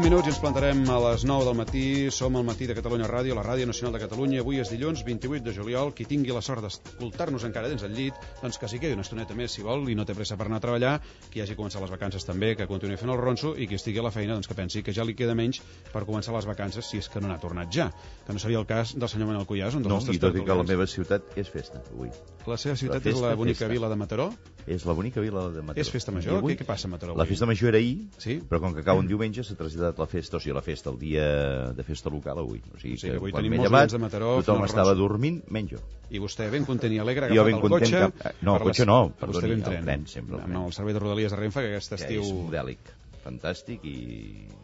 Minuts i ens plantarem a les 9 del matí. Som al Matí de Catalunya Ràdio, la Ràdio Nacional de Catalunya. Avui és dilluns 28 de juliol. Qui tingui la sort d'escoltar-nos encara dins el llit, doncs que s'hi quedi una estoneta més, si vol, i no té pressa per anar a treballar. Qui hagi començat les vacances també, que continuï fent el ronso, i qui estigui a la feina, doncs que pensi que ja li queda menys per començar les vacances, si és que no n'ha tornat ja. Que no seria el cas del senyor Manel Cuyàs, un dels nostres tertulians. No, i tot i que la meva ciutat és festa, avui. La seva ciutat és la bonica vila de Mataró? És la bonica vila de Mataró. És festa major? Què passa a Mataró avui? La festa major era ahir, sí? Però com que cau un diumenge s'ha traslladat la festa, o sigui, la festa, el dia de festa local avui. O sigui que avui quan tenim m'he molts llevat, de Mataró, tothom estava dormint, menys jo. I vostè ben content i alegre, agafat el cotxe... No, el cotxe no, perdoni, el tren, sempre. Amb el servei de Rodalies de Renfe, que aquest estiu... Que és modèlic, fantàstic i...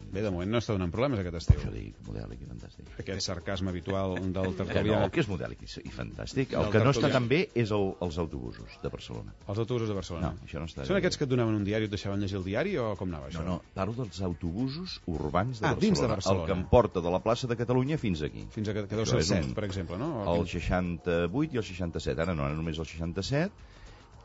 Bé, de moment no està donant problemes aquest estiu. Això dic, modèlic i fantàstic. Aquest sarcasme habitual del tertulià. No, que és modèlic i fantàstic. El que no està tan bé és els autobusos de Barcelona. Els autobusos de Barcelona? No, això no està bé. Són aquests que et donaven un diari i et deixaven llegir el diari o com anava això? No, parlo dels autobusos urbans de Barcelona. Dins de Barcelona. El que em porta de la plaça de Catalunya fins aquí. Fins a que deu ser el 7, per exemple, no? El 68 i el 67. Ara no, ara només el 67.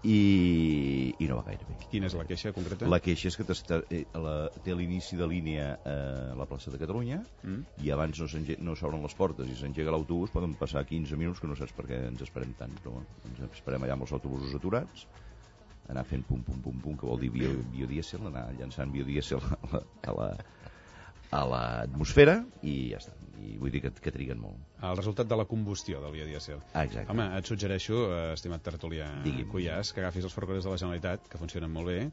I no va gaire bé. Quina és la queixa concreta? La queixa és que té l'inici de línia a la plaça de Catalunya i abans no s'obren les portes i s'engega l'autobús, poden passar 15 minuts que no saps per què ens esperem tant, però ens esperem allà amb els autobusos aturats, anar fent pum pum pum pum, que vol dir biodièsel, anar llançant biodièsel a l'atmosfera i ja està. I vull dir que triguen molt. El resultat de la combustió del biodièsel. Exacte. Home, et suggereixo, estimat tertulià Cuyàs, que agafis els ferrocarrils de la Generalitat, que funcionen molt bé,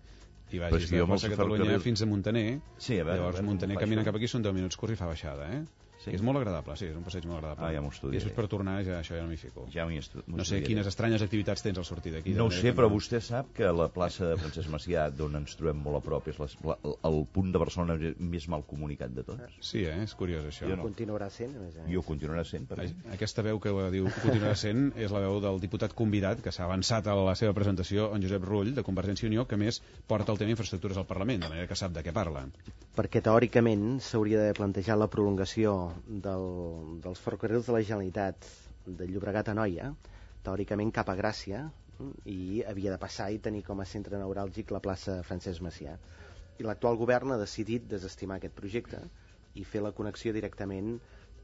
i vagis de plaça Catalunya fins a Muntaner. Sí, a veure. Llavors Muntaner caminant cap aquí són 10 minuts curts i fa baixada, Sí. És molt agradable, sí, és un passeig molt agradable. Ja m'ho estudiaré. I després per tornar això ja no m'hi fico. Ja no sé quines estranyes activitats tens al sortir d'aquí. No ho sé, però vostè sap que la plaça de Francesc Macià, d'on ens trobem molt a prop, és el punt de Barcelona més mal comunicat de tots. Sí, és curiós això. Ho continuarà sent, a més a més. I ho continuarà sent, per Aquesta veu que diu continuarà sent és la veu del diputat convidat, que s'ha avançat a la seva presentació, en Josep Rull, de Convergència i Unió, que més porta el tema infraestructures al Parlament, de manera que sap de què parla. Perquè teòricament s'hauria de plantejar la prolongació dels ferrocarrils de la Generalitat de Llobregat a Anoia, teòricament cap a Gràcia, i havia de passar i tenir com a centre neuràlgic la plaça Francesc Macià. I l'actual govern ha decidit desestimar aquest projecte i fer la connexió directament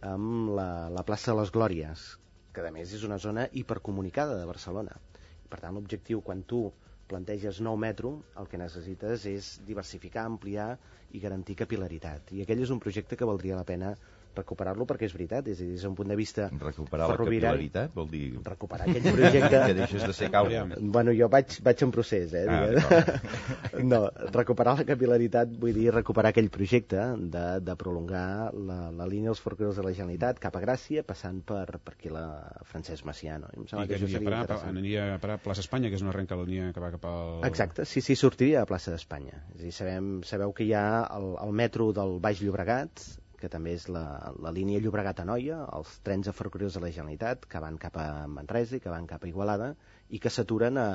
amb la plaça de les Glòries, que a més és una zona hipercomunicada de Barcelona. Per tant, l'objectiu, quan tu planteges nou metro, el que necessites és diversificar, ampliar i garantir capil·laritat. I aquell és un projecte que valdria la pena recuperar-lo, perquè és veritat, és a dir, des d'un punt de vista recuperar la capil·laritat vol dir recuperar aquell projecte que deixes de ser caure. Bueno, jo vaig en procés, no, recuperar la capil·laritat vull dir recuperar aquell projecte de prolongar la línia dels ferrocarrils de la Generalitat cap a Gràcia, passant per aquí la Francesc Macià, no? I que aniria a parar a Plaça Espanya, que és una línia que va cap al... Exacte, sí, sortiria a Plaça d'Espanya. És a dir, sabeu que hi ha el metro del Baix Llobregat, que també és la línia Llobregat-Anoia, els trens de ferrocarrils de la Generalitat que van cap a Manresa i que van cap a Igualada i que s'aturen a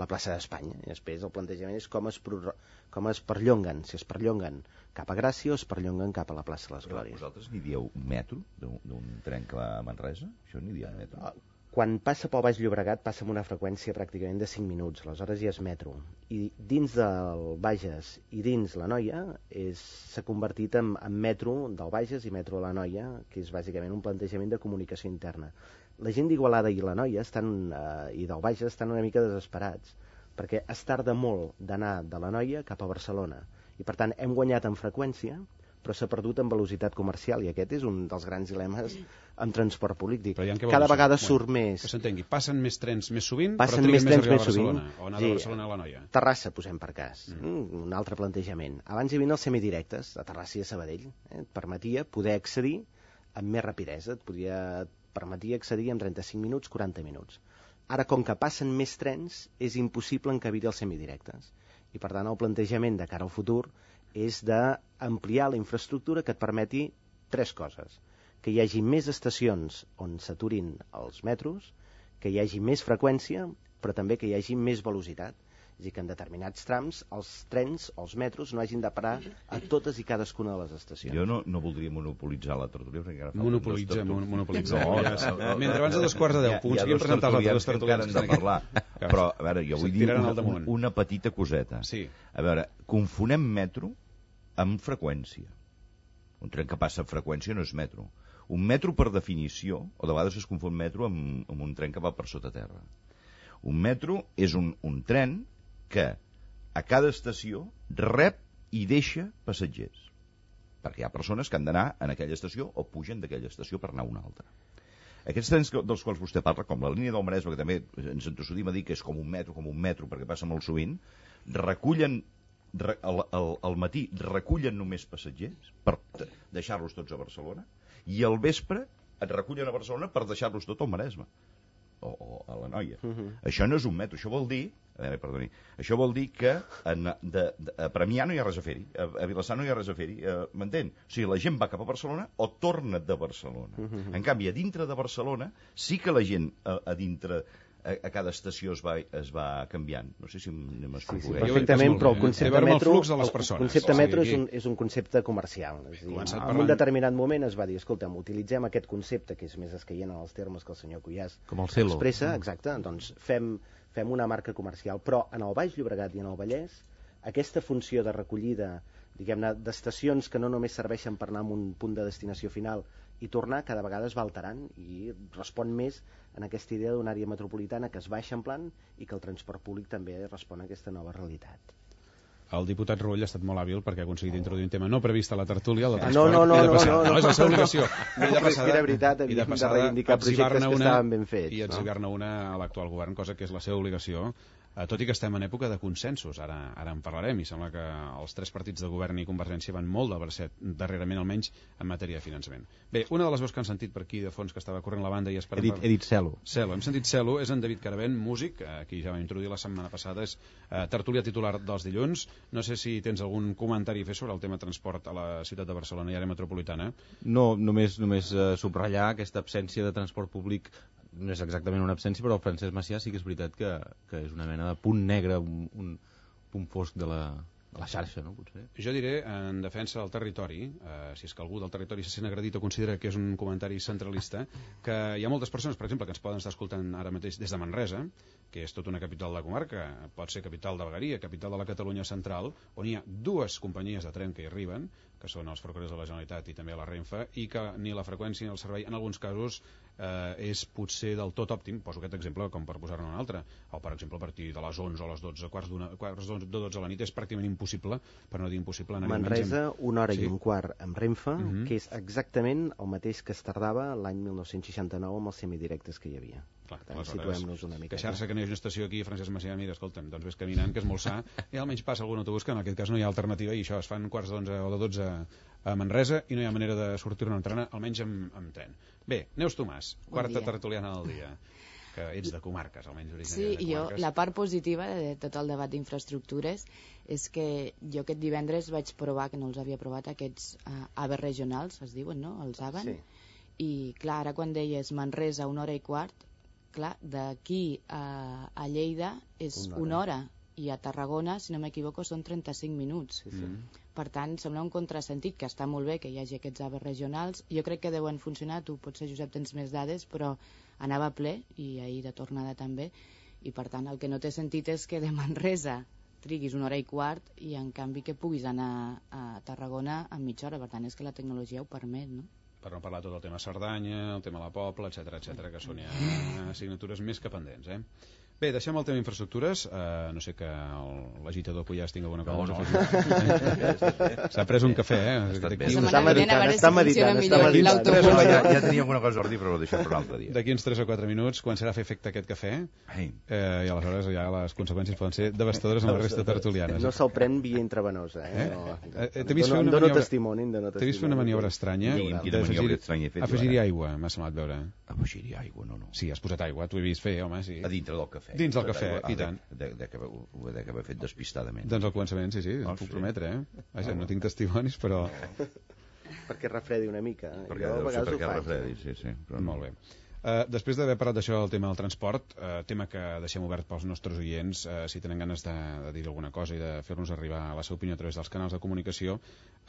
la plaça d'Espanya. I després el plantejament és com es perllonguen, si es perllonguen cap a Gràcia o es perllonguen cap a la plaça de les Glòries. Vosaltres n'hi dieu metro d'un tren que va a Manresa? Això n'hi dieu metro? Quan passa pel Baix Llobregat passa amb una freqüència pràcticament de 5 minuts, aleshores ja és metro. I dins del Bages i dins l'Anoia s'ha convertit en metro del Bages i metro de l'Anoia, que és bàsicament un plantejament de comunicació interna. La gent d'Igualada i l'Anoia i del Bages estan una mica desesperats, perquè es tarda molt d'anar de l'Anoia cap a Barcelona. I per tant hem guanyat en freqüència, però s'ha perdut en velocitat comercial, i aquest és un dels grans dilemes amb transport polític. Cada vegada surt més... Que s'entengui, passen més trens més sovint, però triguen més a arribar a Barcelona, o anar de Barcelona a l'Anoia. Terrassa, posem per cas, un altre plantejament. Abans hi havia els semidirectes, a Terrassa i a Sabadell, et permetia poder accedir amb més rapidesa, et permetia accedir en 35 minuts, 40 minuts. Ara, com que passen més trens, és impossible encabir els semidirectes. I per tant, el plantejament de cara al futur és d'ampliar la infraestructura que et permeti tres coses. que hi hagi més estacions on s'aturin els metros, que hi hagi més freqüència, però també que hi hagi més velocitat. És a dir, que en determinats trams els trens o els metros no hagin de parar a totes i cadascuna de les estacions. Jo no voldria monopolitzar la tertúlia. Monopolitzem. Mentre abans de 2:15 puguin presentar els altres tertulians que han de parlar. Però, a veure, jo vull dir una petita coseta. Sí. A veure, confonem metro amb freqüència. Un tren que passa a freqüència no és metro. Un metro, per definició, o de vegades es confon metro amb un tren que va per sota terra. Un metro és un tren que a cada estació rep i deixa passatgers. Perquè hi ha persones que han d'anar en aquella estació o pugen d'aquella estació per anar a una altra. Aquests trens dels quals vostè parla, com la línia del Maresme, que també ens entossudim a dir que és com un metro, perquè passa molt sovint, recullen al matí recullen només passatgers per deixar-los tots a Barcelona i al vespre et recullen a Barcelona per deixar-los tot al Maresme o a la Noia. Això no és un metro, això vol dir que a Premià no hi ha res a fer-hi, a Vilassar no hi ha res a fer-hi, m'entén? O sigui, la gent va cap a Barcelona o torna de Barcelona. En canvi, a dintre de Barcelona sí que la gent a dintre a cada estació es va canviant. No sé si m'explico. Sí, perfectament, però el concepte metro és un concepte comercial. És a dir, en un determinat moment es va dir, escolta'm, utilitzem aquest concepte que és més escaient en els termes que el senyor Cuyàs expressa, exacte, doncs fem una marca comercial, però en el Baix Llobregat i en el Vallès aquesta funció de recollida, diguem-ne, d'estacions que no només serveixen per anar a un punt de destinació final i tornar, cada vegada es va alterant i respon més en aquesta idea d'una àrea metropolitana que es va eixamplant i que el transport públic també respon a aquesta nova realitat. El diputat Rull ha estat molt hàbil perquè ha aconseguit introduir un tema no previst a la tertúlia, el de transport. No, és la seva obligació. Era veritat, havíem de reivindicar projectes que estaven ben fets. I etzibar-ne una a l'actual govern, cosa que és la seva obligació, tot i que estem en època de consensos. Ara en parlarem, i sembla que els 3 partits de govern i Convergència van molt de verset, darrerament almenys, en matèria de finançament. Bé, una de les veus que han sentit per aquí de fons que estava corrent la banda i esperem... He dit Celo. Hem sentit Celo, és en David Caravent, músic, qui ja va introduir la setmana passada, és tertúlia titular dels dilluns. No sé si tens algun comentari a fer sobre el tema transport a la ciutat de Barcelona i àrea metropolitana. No, només subratllar aquesta absència de transport públic. No és exactament una absència, però el Francesc Macià sí que és veritat que és una mena de punt negre, un punt fosc de la xarxa, no? Potser. Jo diré, en defensa del territori, si és que algú del territori se sent agredit o considera que és un comentari centralista, que hi ha moltes persones, per exemple, que ens poden estar escoltant ara mateix des de Manresa, que és tota una capital de comarca, pot ser capital de vegueria, capital de la Catalunya central, on hi ha 2 companyies de tren que hi arriben, que són els Ferrocarrils de la Generalitat i també la Renfe, i que ni la freqüència ni el servei, en alguns casos, és potser del tot òptim. Poso aquest exemple com per posar-ne un altre. O, per exemple, a partir de les 11 o les 12, quarts de 12 a la nit és pràcticament impossible, per no dir impossible. Manresa, 1 hora i un quart amb Renfe, que és exactament el mateix que es tardava l'any 1969 amb els semidirectes que hi havia. Clar, situem-nos una mica. Queixar-se que no hi ha una estació aquí, Francesc Macià, mira, escolta'm, doncs ves caminant, que és molt sa, i almenys passa algun autobús que en aquest cas no hi ha alternativa, i això es fan quarts d'11 o de 12 a Manresa i no hi ha manera de sortir-ne en tren, almenys amb tren. Bé, Neus Tomàs, quarta tertuliana del dia, que ets de comarques, almenys originària de comarques. Sí, la part positiva de tot el debat d'infraestructures és que jo aquest divendres vaig provar, que no els havia provat, aquests AVE regionals, es diuen, no?, els AVAN, i clar, ara quan deies Manresa 1 hora i quart, clar, d'aquí a Lleida és 1 hora i a Tarragona, si no m'equivoco, són 35 minuts. Per tant, sembla un contrasentit, que està molt bé que hi hagi aquests AVE regionals. Jo crec que deuen funcionar, tu potser, Josep, tens més dades, però anava ple, i ahir de tornada també, i per tant el que no té sentit és que de Manresa triguis 1 hora i quart i en canvi que puguis anar a Tarragona en mitja hora. Per tant, és que la tecnologia ho permet, no? Per no parlar tot el tema Cerdanya, el tema la Pobla, etc, que són ja assignatures més que pendents, Bé, deixem el tema infraestructures. No sé que l'agitador Cuyàs tingui alguna cosa a afegir. S'ha pres un cafè, Està meditant. Ja tenia alguna cosa a dir, però ho deixem per un altre dia. D'aquí uns 3 o 4 minuts començarà a fer efecte aquest cafè, i aleshores ja les conseqüències poden ser devastadores en la resta tertulianes. No se'l pren via intravenosa. Dono testimoni. T'he vist fer una maniobra estranya d'afegir-hi aigua, m'ha semblat veure. Afegir-hi aigua, no. Sí, has posat aigua, t'ho he vist fer, home, sí. A dintre del cafè. Dins del cafè, i tant. Ho he d'haver fet despistadament. Doncs al començament, sí, puc prometre, Vaja, no tinc testimonis, però... perquè refredi una mica. Perquè deu ser perquè refredi, sí. Però molt bé. Després d'haver parlat d'això del tema del transport, tema que deixem obert pels nostres oients, si tenen ganes de dir alguna cosa i de fer-nos arribar la seva opinió a través dels canals de comunicació,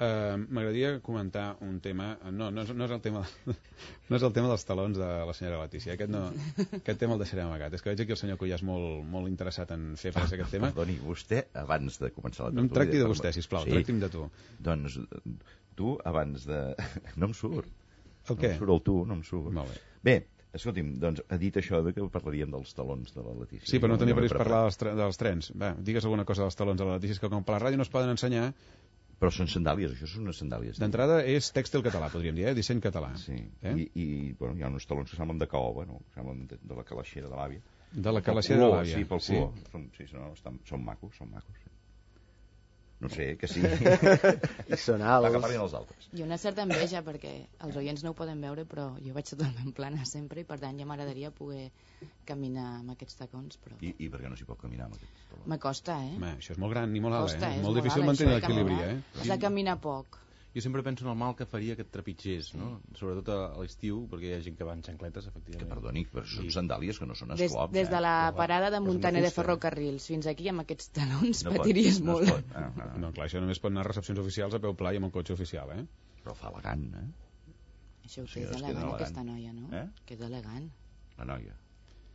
m'agradaria comentar un tema, no és el tema no és el tema dels talons de la senyora Letícia, aquest tema el deixarem amagat. És que veig aquí el senyor Cuyàs molt interessat en fer frase aquest tema. Perdoni, vostè abans de començar la tertúlia... No em tracti de vostè, sisplau, tracti'm de tu. Doncs tu abans de... No em surt. El què? No em surt el tu, no em surt. Molt bé. Bé, escolti'm, doncs ha dit això de que parlaríem dels talons de la Letícia. Sí, però no tenia previst parlar dels trens. Va, digues alguna cosa dels talons de la Letícia, que com per la ràdio no es poden ensenyar... Però són sandàlies, això són unes sandàlies. D'entrada és tèxtil català, podríem dir, disseny català. Sí, i bueno, hi ha uns talons que semblen de caoba, no? Semblen de la calaixera de l'àvia. De la calaixera de l'àvia. Sí, pel color. Sí, són macos, sí. No sé, que sí. I són alts. Que parlin els altres. I una certa enveja, perquè els oients no ho poden veure, però jo vaig totalment plana sempre i per tant ja m'agradaria poder caminar amb aquests tacons. Però... I per què no s'hi pot caminar amb aquests talons? M'acosta, Això és molt gran i molt alt, Costa, molt difícil mantenir l'equilibri, Has de caminar poc. Jo sempre penso en el mal que faria aquest trepitgers, no? Sobretot a l'estiu, perquè hi ha gent que va en xancletes, efectivament. Que perdoni, però són sandàlies que no són esclops. Des de la parada de Montaner de Ferrocarrils fins aquí, amb aquests talons, patiries molt. No, clar, això només pot anar a recepcions oficials a peu pla i amb el cotxe oficial, Però fa elegant, Això ho té d'elegant, aquesta noia, no? Que és elegant. La noia.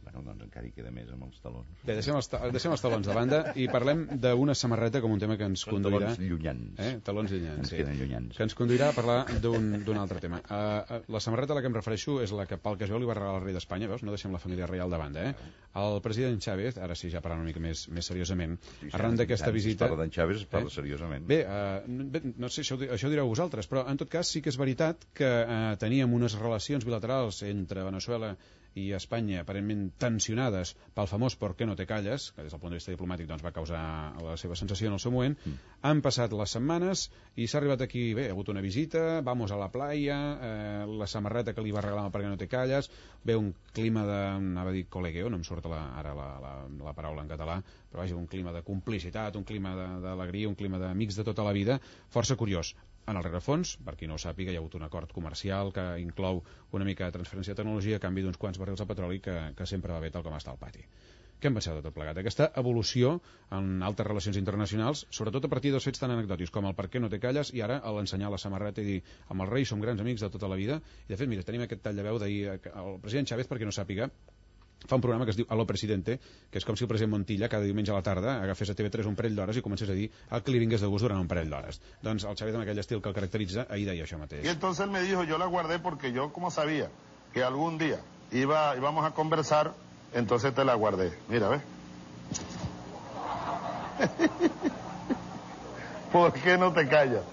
Bueno, doncs encara hi queda més amb els talons. Bé, deixem els talons de banda i parlem d'una samarreta com un tema que ens conduirà... Talons llunyans. Talons llunyans, sí. Queden llunyans. Que ens conduirà a parlar d'un altre tema. La samarreta a la que em refereixo és la que, pel que jo li va regalar el rei d'Espanya, veus? No deixem la família reial de banda, El president Chávez, ara sí, ja parlant una mica més seriosament, arran d'aquesta visita... Si parla d'en Chávez, es parla seriosament. Bé, no sé, això direu vosaltres, però en tot cas sí que és veritat que teníem unes relacions bilaterals entre Veneçuela i Espanya aparentment tensionades pel famós «por qué no te calles», que des del punt de vista diplomàtic doncs, va causar la seva sensació en el seu moment. Han passat les setmanes i s'ha arribat aquí, bé, ha hagut una visita, vamos a la playa, la samarreta que li va regalar «por qué no te calles», ve un clima de, anava a dir colegueo, no em surt ara la paraula en català, però vaja, un clima de complicitat, un clima d'alegria, un clima d'amics de tota la vida, força curiós. En el rerefons, per qui no ho sàpiga, hi ha hagut un acord comercial que inclou una mica de transferència de tecnologia a canvi d'uns quants barrils de petroli que sempre va bé tal com està al pati. Què en penseu de tot plegat? Aquesta evolució en altes relacions internacionals, sobretot a partir dels fets tan anecdòtics com el per què no te calles i ara a l'ensenyar la samarreta i dir amb el rei som grans amics de tota la vida. I de fet, mira, tenim aquest tall de veu d'ahir, el president Chávez, per qui no sàpiga, fa un programa que es diu Aló Presidente, que és com si el president Montilla cada diumenge a la tarda agafés a TV3 un parell d'hores i comencés a dir el que li vingués de gust durant un parell d'hores. Doncs el Chávez, amb aquell estil que el caracteritza, ahir deia això mateix. Y entonces él me dijo, yo la guardé porque yo como sabía que algún día íbamos a conversar, entonces te la guardé. Mira, ¿ves? ¿Por qué no te callas?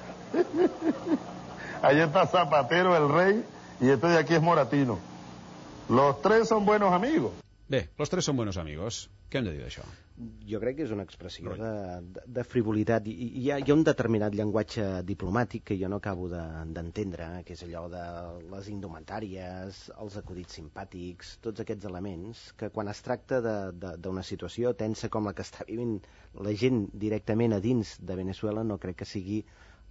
Ahí está Zapatero, el rey, y este de aquí es Moratino. Los tres son buenos amigos. Bé, los tres son buenos amigos. Què hem de dir d'això? Jo crec que és una expressió de frivolitat. Hi ha un determinat llenguatge diplomàtic que jo no acabo d'entendre, que és allò de les indumentàries, els acudits simpàtics, tots aquests elements, que quan es tracta d'una situació tensa com la que està vivint la gent directament a dins de Veneçuela, no crec que sigui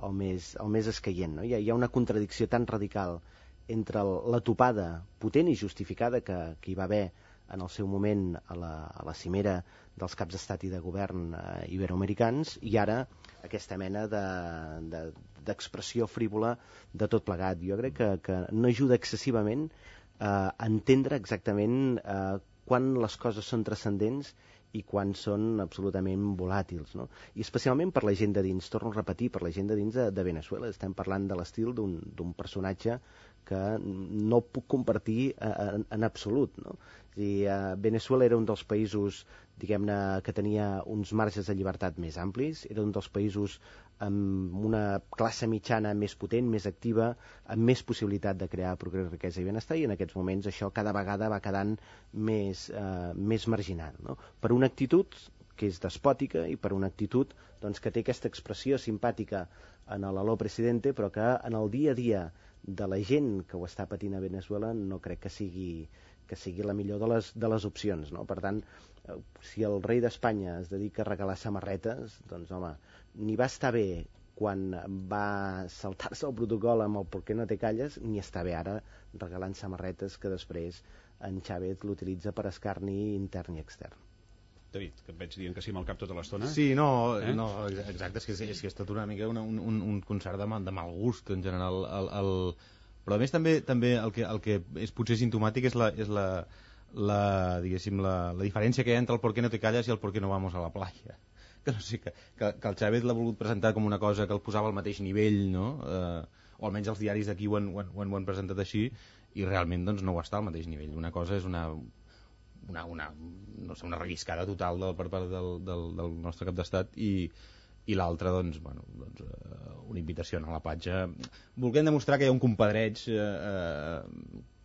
el més escaient. No? Hi ha una contradicció tan radical entre la topada potent i justificada que hi va haver en el seu moment a la cimera dels caps d'estat i de govern iberoamericans i ara aquesta mena d'expressió frívola de tot plegat. Jo crec que no ajuda excessivament a entendre exactament quan les coses són transcendents i quan són absolutament volàtils, no? I especialment per la gent de dins, torno a repetir, per la gent de dins de Veneçuela. Estem parlant de l'estil d'un personatge que no puc compartir en absolut, no? Veneçuela era un dels països, diguem-ne, que tenia uns marges de llibertat més amplis, era un dels països amb una classe mitjana més potent, més activa, amb més possibilitat de crear progrés, riquesa i benestar, i en aquests moments això cada vegada va quedant més marginal, no? Per una actitud que és despòtica i per una actitud doncs, que té aquesta expressió simpàtica en l'Aló Presidente, però que en el dia a dia de la gent que ho està patint a Veneçuela no crec que sigui la millor de les opcions, no? Per tant, si el rei d'Espanya es dedica a regalar samarretes, doncs home, ni va estar bé quan va saltar-se el protocol amb el ¿por qué no te calles?, ni està bé ara regalant samarretes que després en Chávez l'utilitza per escarni intern i extern. David, que et veig dient que sí amb el cap tota l'estona. Sí, no, exacte, és que és tot una mica un concert de mal gust en general. Però a més també el que és potser simptomàtic és la diferència que hi ha entre el ¿por qué no te calles? I el ¿por qué no vamos a la playa? Que no sé, que el Chávez l'ha volgut presentar com una cosa que el posava al mateix nivell, no? O almenys els diaris d'aquí ho han presentat així, i realment doncs, no ho està al mateix nivell. Una cosa és una relliscada total per part del nostre cap d'estat, i l'altra doncs, una invitació a la platja, volent demostrar que hi ha un compadreig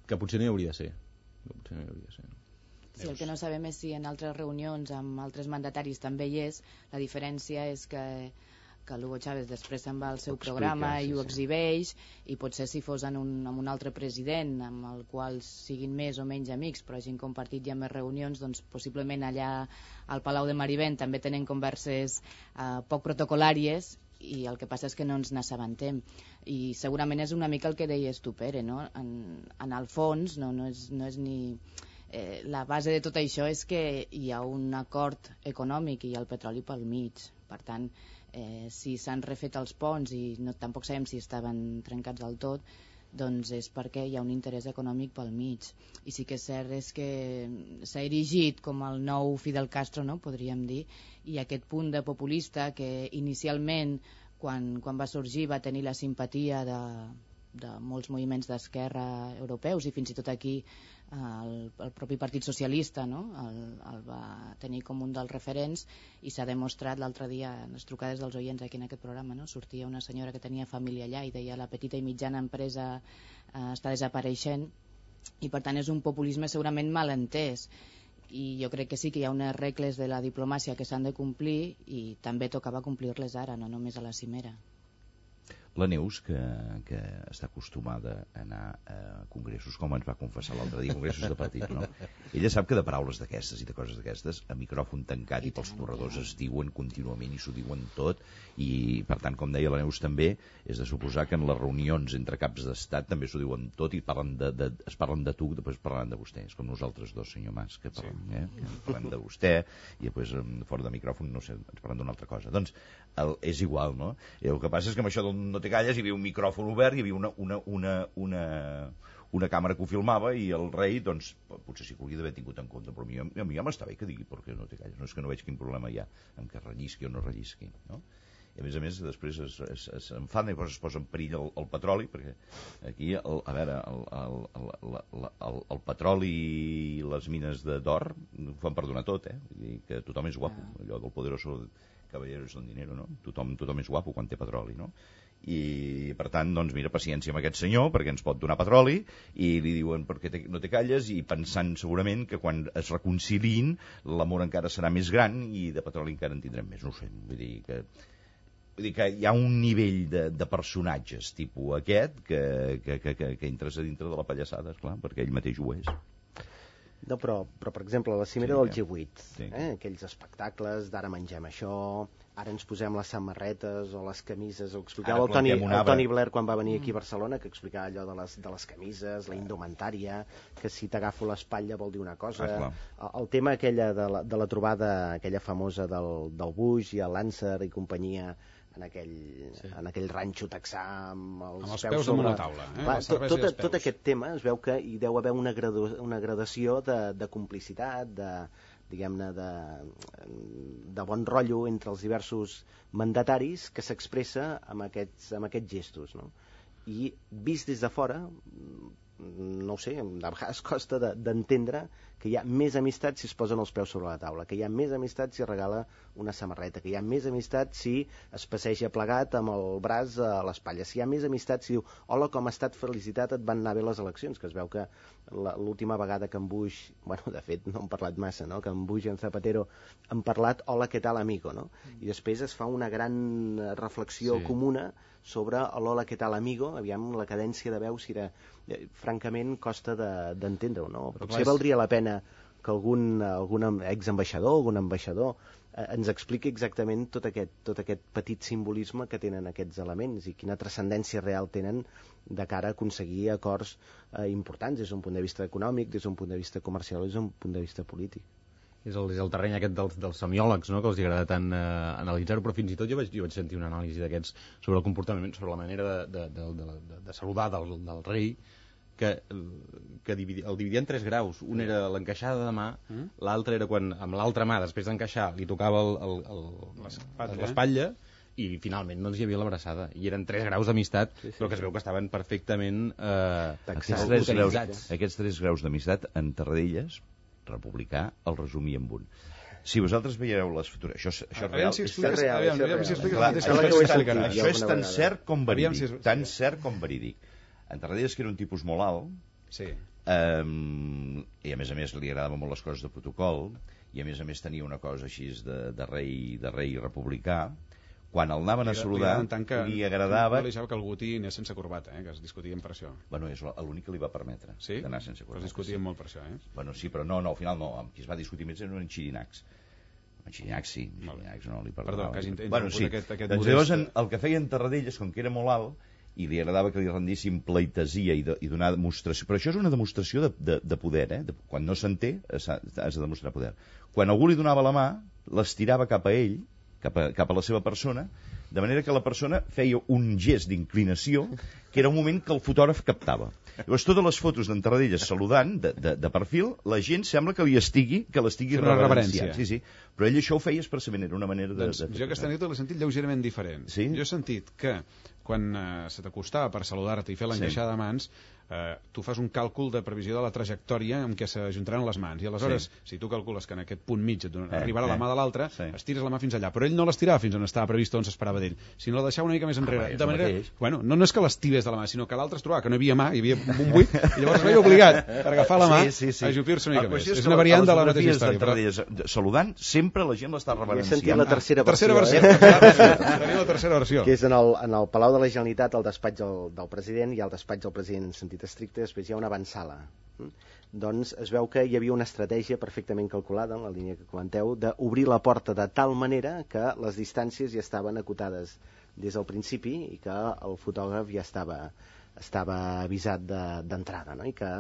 que potser no hi hauria de ser. Sí, el que no sabem és si en altres reunions amb altres mandataris també hi és. La diferència és que l'Hugo Chávez després se'n va al seu programa i ho exhibeix, i potser si fos amb un altre president amb el qual siguin més o menys amics però hagin compartit ja més reunions, doncs possiblement allà al Palau de Marivent també tenen converses poc protocolàries, i el que passa és que no ens n'assabentem, i segurament és una mica el que deies tu, Pere, no? En el fons no és ni... la base de tot això és que hi ha un acord econòmic i hi ha el petroli pel mig. Per tant, si s'han refet els ponts i tampoc sabem si estaven trencats del tot, doncs és perquè hi ha un interès econòmic pel mig. I sí que és cert és que s'ha erigit com el nou Fidel Castro, no? Podríem dir, i aquest punt de populista que inicialment quan va sorgir va tenir la simpatia de molts moviments d'esquerra europeus, i fins i tot aquí el propi Partit Socialista, no? el va tenir com un dels referents, i s'ha demostrat l'altre dia en les trucades dels oients aquí en aquest programa, no? Sortia una senyora que tenia família allà i deia la petita i mitjana empresa està desapareixent, i per tant és un populisme segurament mal entès, i jo crec que sí que hi ha unes regles de la diplomàcia que s'han de complir, i també tocava complir-les ara, no només a la cimera. La Neus, que està acostumada a anar a congressos, com ens va confessar l'altre dia, congressos de petit, no? Ella sap que de paraules d'aquestes i de coses d'aquestes, a micròfon tancat i pels corredors es diuen contínuament i s'ho diuen tot, i per tant, com deia la Neus també, és de suposar que en les reunions entre caps d'estat també s'ho diuen tot i es parlen de tu, després parlen de vostè. És com nosaltres dos, senyor Mas, que parlem de vostè i després fora de micròfon, no sé, ens parlem d'una altra cosa. Doncs és igual, no? El que passa és que amb això del no te calles hi havia un micròfon obert, hi havia una càmera que ho filmava, i el rei, doncs, potser sí que hauria d'haver tingut en compte, però a mi ja m'està bé que digui perquè no te calles, no és que no veig quin problema hi ha amb que rellisqui o no rellisqui, no? I a més després s'enfada i es posa en perill el petroli, perquè aquí, a veure, el petroli i les mines d'or ho fan perdonar tot, vull dir que tothom és guapo, allò del poderoso caballero es don dinero, no? Tothom és guapo quan té petroli, no? I per tant, doncs mira, paciència amb aquest senyor perquè ens pot donar petroli, i li diuen perquè no te calles, i pensant segurament que quan es reconciliïn l'amor encara serà més gran i de petroli encara en tindrem més, no ho sé, vull dir que hi ha un nivell de personatges tipus aquest que entres a dintre de la pallassada, esclar, perquè ell mateix ho és. No, però per exemple, la cimera del G8, aquells espectacles d'ara mengem això, ara ens posem les samarretes o les camises, ho explicava el Tony Blair quan va venir aquí a Barcelona, que explicava allò de les camises, la indumentària, que si t'agafo l'espatlla vol dir una cosa, el tema aquella de la trobada aquella famosa del Bush i el Lancer i companyia en aquell ranxo texà amb els peus damunt la taula. Tot aquest tema es veu que hi deu haver una gradació de complicitat, diguem-ne, de bon rotllo entre els diversos mandataris que s'expressa amb aquests gestos, no? I vist des de fora, no ho sé, a vegades costa d'entendre que hi ha més amistat si es posen els peus sobre la taula, que hi ha més amistat si regala una samarreta, que hi ha més amistat si es passeja plegat amb el braç a l'espatlla, si hi ha més amistat si diu hola, com ha estat, felicitat, et van anar bé les eleccions, que es veu que l'última vegada que en Bush, bueno, de fet no han parlat massa, no? Que en Bush i en Zapatero han parlat hola, què tal, amigo, no? I després es fa una gran reflexió comuna sobre l'hola, què tal, amigo, aviam la cadència de veu si era... francament costa d'entendre-ho, no? Potser valdria la pena algun exambaixador, algun ambaixador ens expliqui exactament tot aquest petit simbolisme que tenen aquests elements i quina transcendència real tenen de cara a aconseguir acords importants des d'un punt de vista econòmic, des d'un punt de vista comercial, des d'un punt de vista polític. És el terreny aquest dels semiòlegs, no?, que els agrada tant analitzar-ho, però fins i tot jo vaig sentir una anàlisi d'aquests sobre el comportament, sobre la manera de saludar del rei, que el dividia en 3 graus. Un era l'encaixada de mà, l'altre era quan amb l'altra mà, després d'encaixar, li tocava l'espatlla, i finalment doncs hi havia l'abraçada. I eren 3 graus d'amistat, però que es veu que estaven perfectament utilitzats. Aquests 3 graus d'amistat en Tarradellas, republicà, el resumia amb un. Si vosaltres veieu les fotografies... Això és tan cert com verídic. Tan cert com verídic. En Tarradellas, que era un tipus molt alt, i a més li agradaven molt les coses de protocol, i a més tenia una cosa així de rei republicà. Quan el anaven a saludar, li agradava... No li deixava que algú anés sense corbata, que es discutien per això. Bueno, és l'únic que li va permetre d'anar sense corbata. Però es discutien molt per això, Bueno, sí, però no, al final no. Amb qui es va discutir més eren Xirinacs. Xirinacs sí, Xirinacs no li perdonava. Perdó, que hagi interromput aquest modest... Llavors, el que feia en Tarradellas, com que era molt alt, i li agradava que li rendissin pleitesia i donar demostració. Però això és una demostració de poder, Quan no s'entén, has de demostrar poder. Quan algú li donava la mà, l'estirava cap a ell, cap a la seva persona, de manera que la persona feia un gest d'inclinació que era un moment que el fotògraf captava. Llavors, totes les fotos d'en Tarradellas saludant, de perfil, la gent sembla que l'estigui reverenciant. Sí. Però ell això ho feia expressament, era una manera de... Jo aquesta anècdota l'he sentit lleugerament diferent. Sí? Jo he sentit que quan se t'acostava per saludar-te i fer l'encaixada de mans, tu fas un càlcul de previsió de la trajectòria en què s'ajuntaran les mans, i aleshores, si tu calcules que en aquest punt mig arribarà la mà de l'altre, estires la mà fins allà, però ell no l'estirava fins on estava previst, on s'esperava d'ell, sinó la deixava una mica més enrere, de manera, bueno, no és que l'estirés de la mà, sinó que l'altre es trobava que no hi havia mà, hi havia un buit, i llavors es veia obligat per agafar la mà a ajupir-se una mica més. És una variant de la mateixa història. Saludant, sempre la gent l'està reverenciant. He sentit la tercera versió. La tercera versió. Que és en el Palau de la Generalitat, el despatx del president, i el despatx del president en sentit estricte, després hi ha una avantsala. Doncs es veu que hi havia una estratègia perfectament calculada, en la línia que comenteu, d'obrir la porta de tal manera que les distàncies ja estaven acotades des del principi i que el fotògraf ja estava avisat d'entrada, no? I que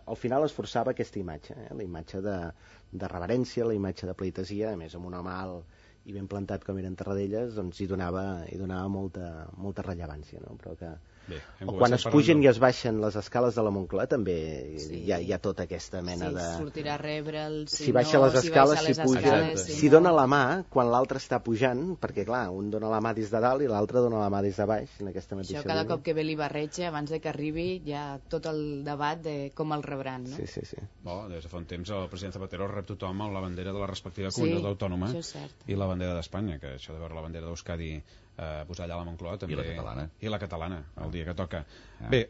al final es forçava aquesta imatge, la imatge de reverència, la imatge de pleitesia, a més amb un home alt i ben plantat com eren Tarradellas, doncs hi donava molta rellevància, no? Però que quan es pugen i es baixen les escales de la Moncloa també hi ha tota aquesta mena de... sortirà a rebre'l, si baixa les escales, si puja, si dona la mà quan l'altre està pujant, perquè clar, un dona la mà des de dalt i l'altre dona la mà des de baix en aquesta mateixa això cada cop que ve l'Ibarretxe, abans de que arribi hi ha tot el debat de com el rebran, no? Sí. Des de fa un temps el president Zapatero rep tothom amb la bandera de la respectiva comunitat autònoma i la bandera d'Espanya, que això de veure la bandera d'Euskadi posar allà a la Moncloa també... I la catalana, el dia que toca. Bé,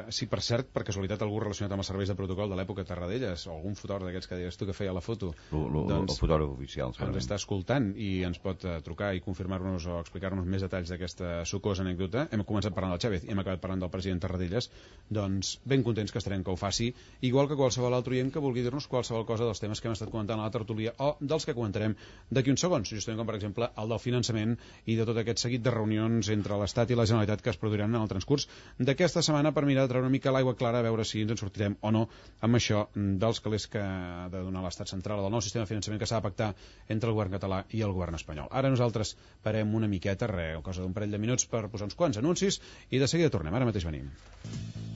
si per cert, per casualitat algú relacionat amb els serveis de protocol de l'època Tarradellas, o algun fotògraf d'aquests que deies tu que feia la foto, el fotògraf oficial ens està escoltant i ens pot trucar i confirmar-nos o explicar-nos més detalls d'aquesta sucosa anècdota. Hem començat parlant del Chávez i hem acabat parlant del president Tarradellas, doncs ben contents que estarem que ho faci, igual que qualsevol altre oient que vulgui dir-nos qualsevol cosa dels temes que hem estat comentant a la tertúlia o dels que comentarem d'aquí uns segons, justament com per exemple el del finançament i de tot aquest seguit de reunions entre l'Estat i la Generalitat que es produiran en el transcurs d'aquesta setmana per mirar de treure una mica l'aigua clara a veure si ens en sortirem o no amb això dels calés que ha de donar l'Estat central del nou sistema de finançament que s'ha de pactar entre el govern català i el govern espanyol. Ara nosaltres parem una miqueta, cosa d'un parell de minuts per posar uns quants anuncis i de seguida tornem, ara mateix venim.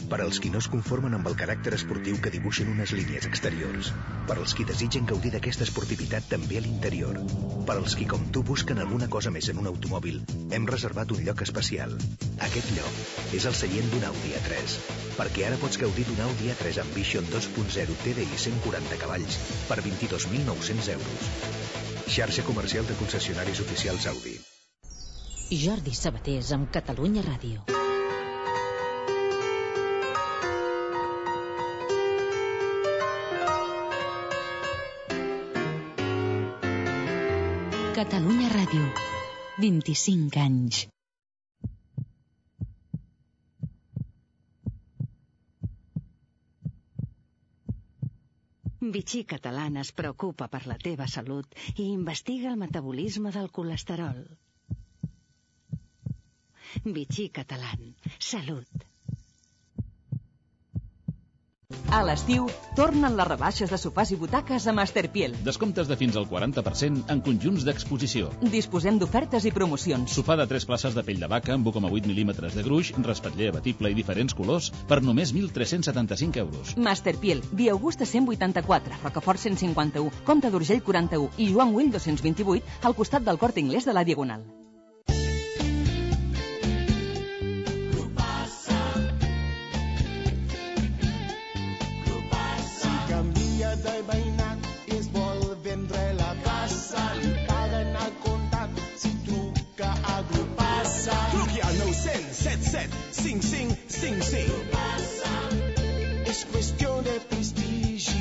Per als qui no es conformen amb el caràcter esportiu que dibuixen unes línies exteriors. Per als qui desitgen gaudir d'aquesta esportivitat també a l'interior. Per als qui, com tu, busquen alguna cosa més en un automòbil, hem reservat un lloc especial. Aquest lloc és el seient d'un Audi A3, perquè ara pots gaudir d'un Audi A3 Ambition 2.0 TDI 140 cavalls per 22.900 euros. Xarxa comercial de concessionaris oficials Audi. Jordi Sabatés amb Catalunya Ràdio. Catalunya Ràdio, 25 anys. Vichy Catalan es preocupa per la teva salut i investiga el metabolisme del colesterol. Vichy Catalan. Salut. A l'estiu, tornen les rebaixes de sofàs i butaques a Masterpiel. Descomptes de fins al 40% en conjunts d'exposició. Disposem d'ofertes i promocions. Sofà de 3 places de pell de vaca amb 1,8 mil·límetres de gruix, respatller abatible i diferents colors per només 1.375 euros. Masterpiel, Via Augusta 184, Rocafort 151, Comte d'Urgell 41 i Joan Güell 228 al costat del Corte Inglés de la Diagonal. És qüestió de prestigi.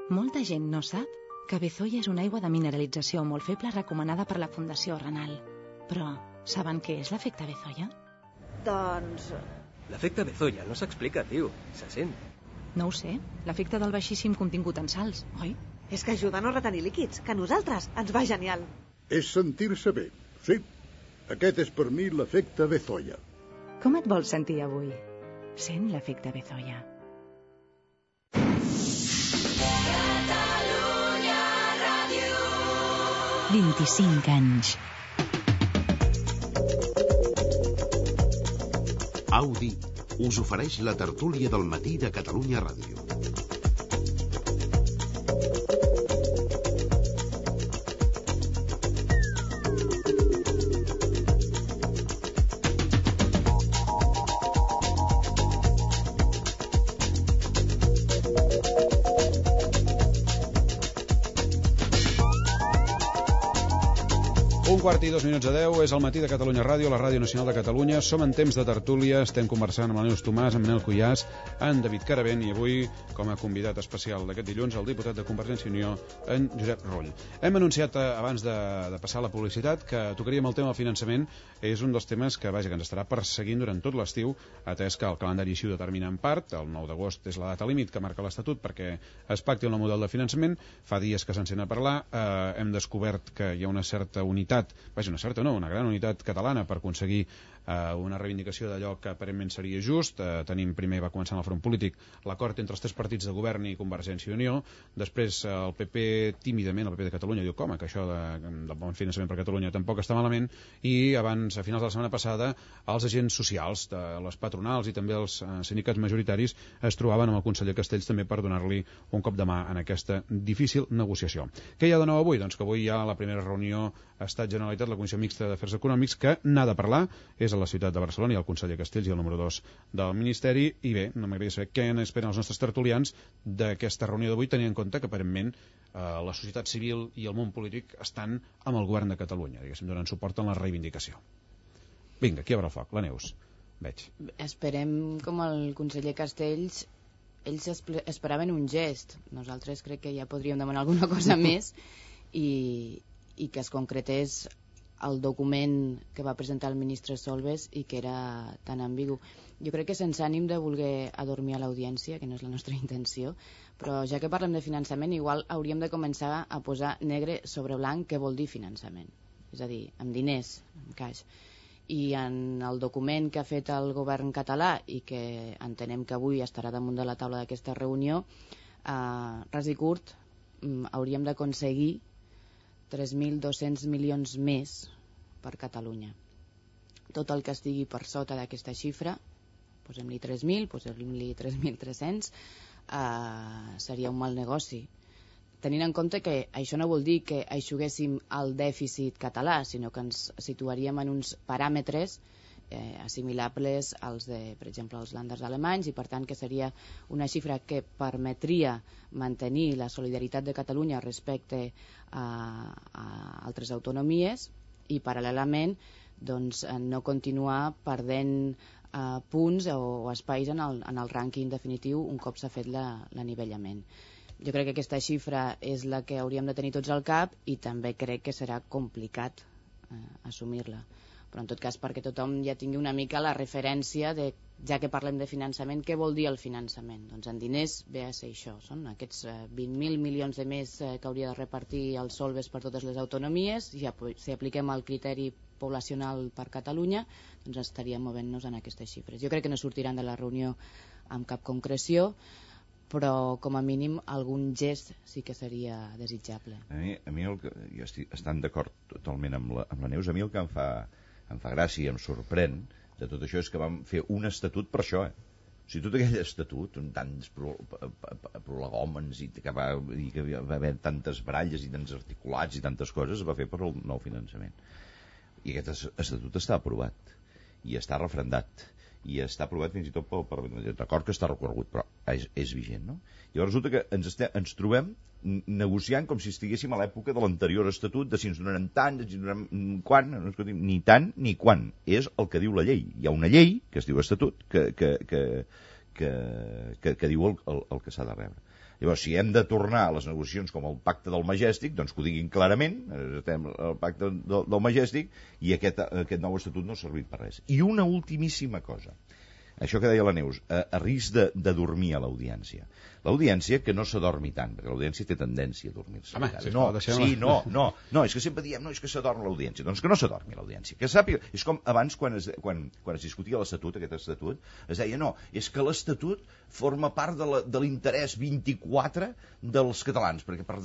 Molta gent no sap que Bezoya és una aigua de mineralització molt feble recomanada per la Fundació Renal. Però saben què és l'efecte Bezoya? Doncs... L'efecte Bezoya no s'explica, tio. Se sent. No ho sé. L'efecte del baixíssim contingut en sals, oi? És que ajuda a no retenir líquids, que a nosaltres ens va genial. És sentir-se bé, sí. Aquest és per mi l'efecte Bezoya. Com et vols sentir avui? Sent l'efecte Bezoya. Catalunya Ràdio. 25 anys. Audi us ofereix la tertúlia del matí de Catalunya Ràdio. Un quart i 2 minuts a 10, és el matí de Catalunya Ràdio, la Ràdio Nacional de Catalunya. Som en temps de tertúlia, estem conversant amb el Neus Tomàs, amb Manel Cuyàs, en David Caravent i avui, com a convidat especial d'aquest dilluns, el diputat de Convergència i Unió, en Josep Rull. Hem anunciat abans de passar la publicitat que tocaríem el tema del finançament. És un dels temes que, vaja, que ens estarà perseguint durant tot l'estiu, atès que el calendari així ho determina en part. El 9 d'agost és la data límit que marca l'Estatut perquè es pacti el nou model de finançament. Fa dies que s'encén a parlar. Hem descobert que hi ha una certa unitat, una gran unitat catalana per aconseguir una reivindicació d'allò que aparentment seria just. Primer va començar en el front polític l'acord entre els 3 partits de govern i Convergència i Unió. Després el PP, tímidament, el PP de Catalunya, diu que això del bon finançament per Catalunya tampoc està malament. I abans, a finals de la setmana passada, els agents socials, de les patronals i també els sindicats majoritaris es trobaven amb el conseller Castells també per donar-li un cop de mà en aquesta difícil negociació. Què hi ha de nou avui? Doncs que avui hi ha la primera reunió Estat-Generalitat, la Comissió Mixta d'Afers Econòmics, que n'ha de parlar. És a la ciutat de Barcelona, hi ha el conseller Castells i el número 2 del Ministeri. I bé, no m'agradaria saber què esperen els nostres tertulians d'aquesta reunió d'avui, tenint en compte que aparentment la societat civil i el món polític estan amb el govern de Catalunya, diguéssim, donant suport en la reivindicació. Vinga, qui obre el foc? La Neus. Veig. Esperem, com el conseller Castells, ells esperaven un gest. Nosaltres crec que ja podríem demanar alguna cosa més i que es concretés el document que va presentar el ministre Solbes i que era tan ambigu. Jo crec que sense ànim de voler adormir a l'audiència, que no és la nostra intenció, però ja que parlem de finançament, igual hauríem de començar a posar negre sobre blanc què vol dir finançament. És a dir, amb diners, amb caix. I en el document que ha fet el govern català i que entenem que avui estarà damunt de la taula d'aquesta reunió, ras i curt, hauríem d'aconseguir 3.200 milions més per Catalunya. Tot el que estigui per sota d'aquesta xifra, posem-li 3.000, posem-li 3.300, seria un mal negoci. Tenint en compte que això no vol dir que eixuguéssim el dèficit català, sinó que ens situaríem en uns paràmetres assimilables als de, per exemple, els lànders alemanys, i per tant que seria una xifra que permetria mantenir la solidaritat de Catalunya respecte a altres autonomies i paral·lelament doncs, no continuar perdent punts o espais en el rànquing definitiu un cop s'ha fet l'anivellament. Jo crec que aquesta xifra és la que hauríem de tenir tots al cap i també crec que serà complicat assumir-la. però en tot cas perquè tothom ja tingui una mica la referència de, ja que parlem de finançament, què vol dir el finançament? Doncs en diners ve a ser això, són aquests 20.000 milions de més que hauria de repartir el Solves per totes les autonomies, i si apliquem el criteri poblacional per Catalunya, doncs estaríem movent-nos en aquestes xifres. Jo crec que no sortiran de la reunió amb cap concreció, però com a mínim algun gest sí que seria desitjable. A mi jo estic estant d'acord totalment amb la Neus. A mi el que em fa gràcia i em sorprèn de tot això és que vam fer un estatut per això, O sigui, tot aquell estatut, amb tants prolegòmens i que va haver tantes baralles i tants articulats i tantes coses, es va fer per el nou finançament. I aquest estatut està aprovat i està refrendat i està aprovat fins i tot pel Parlament. D'acord que està recorregut, però és vigent, no? Llavors resulta que ens trobem negociant com si estiguéssim a l'època de l'anterior estatut, de si ens donaran tant, si ens donaran quan, no escoltim, ni tant ni quan. És el que diu la llei. Hi ha una llei, que es diu estatut, que diu el que s'ha de rebre. Llavors, si hem de tornar a les negociacions com el pacte del Majestic, doncs que ho diguin clarament, estem al pacte del Majestic, i aquest nou estatut no ha servit per res. I una ultimíssima cosa, això que deia la Neus, a risc de dormir a l'audiència. L'audiència que no s'adormi tant, perquè l'audiència té tendència a dormir-se. Home, no, és que sempre diem, no, és que s'adorm l'audiència. Doncs que no s'adormi l'audiència. Que sàpiga, és com abans quan es discutia l'Estatut, aquest Estatut, es deia, no, és que l'Estatut forma part de l'interès 24 dels catalans, perquè per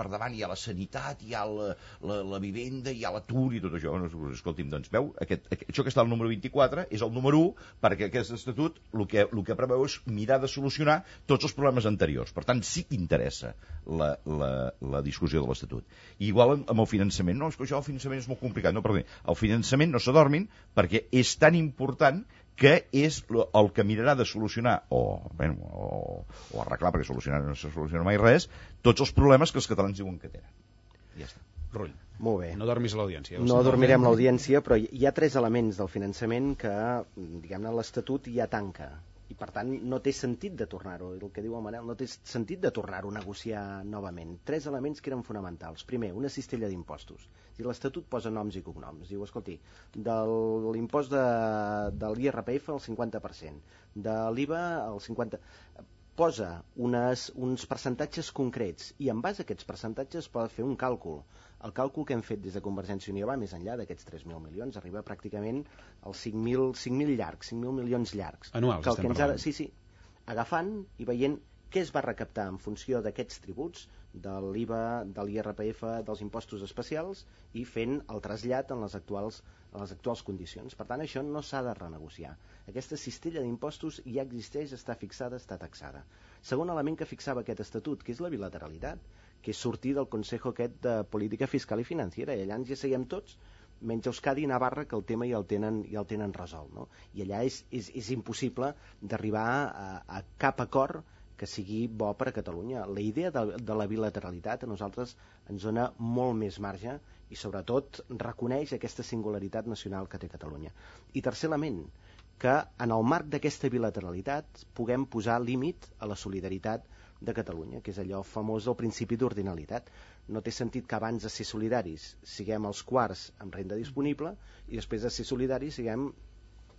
davant hi ha la sanitat, hi ha la vivenda, hi ha l'atur i tot això. Escolti'm, doncs veu, això que està al número 24 és el número 1, perquè aquest Estatut el que preveu és mirar de solucionar tots els problemes anteriors. Per tant, sí que interessa la discussió de l'Estatut. I igual amb el finançament. No, és que això el finançament és molt complicat. No, perdó, el finançament no s'adormin perquè és tan important que és el que mirarà de solucionar o arreglar, perquè solucionar no se soluciona mai res, tots els problemes que els catalans diuen que tenen. Ja està. Rull. Molt bé. No dormis a l'audiència. No dormirem l'audiència, però hi ha 3 elements del finançament que, diguem-ne, l'Estatut ja tanca. I, per tant, no té sentit de tornar-ho. El que diu el Manel, no té sentit de tornar-ho a negociar novament. 3 elements que eren fonamentals. Primer, una cistella d'impostos. L'Estatut posa noms i cognoms. Diu, escolti, de l'impost de l'IRPF el 50%, de l'IVA el 50%... Posa uns percentatges concrets i en base a aquests percentatges pot fer un càlcul. El càlcul que hem fet des de Convergència i Unió va més enllà d'aquests 3.000 milions, arriba pràcticament als 5.000 llargs, 5.000 milions llargs. Anuals, estem parlant. Sí, agafant i veient què es va recaptar en funció d'aquests tributs, de l'IVA, de l'IRPF, dels impostos especials, i fent el trasllat en les actuals condicions. Per tant, això no s'ha de renegociar. Aquesta cistella d'impostos ja existeix, està fixada, està taxada. Segon element que fixava aquest estatut, que és la bilateralitat, que és sortir del Consejo aquest de Política Fiscal i Financiera, i allà ens hi asseiem tots, menys Euskadi i Navarra, que el tema ja el tenen resolt, no? I allà és impossible d'arribar a cap acord que sigui bo per a Catalunya. La idea de la bilateralitat a nosaltres ens dona molt més marge i sobretot reconeix aquesta singularitat nacional que té Catalunya. I tercer element, que en el marc d'aquesta bilateralitat puguem posar límit a la solidaritat de Catalunya, que és allò famós del principi d'ordinalitat. No té sentit que abans de ser solidaris siguem els quarts amb renda disponible i després de ser solidaris siguem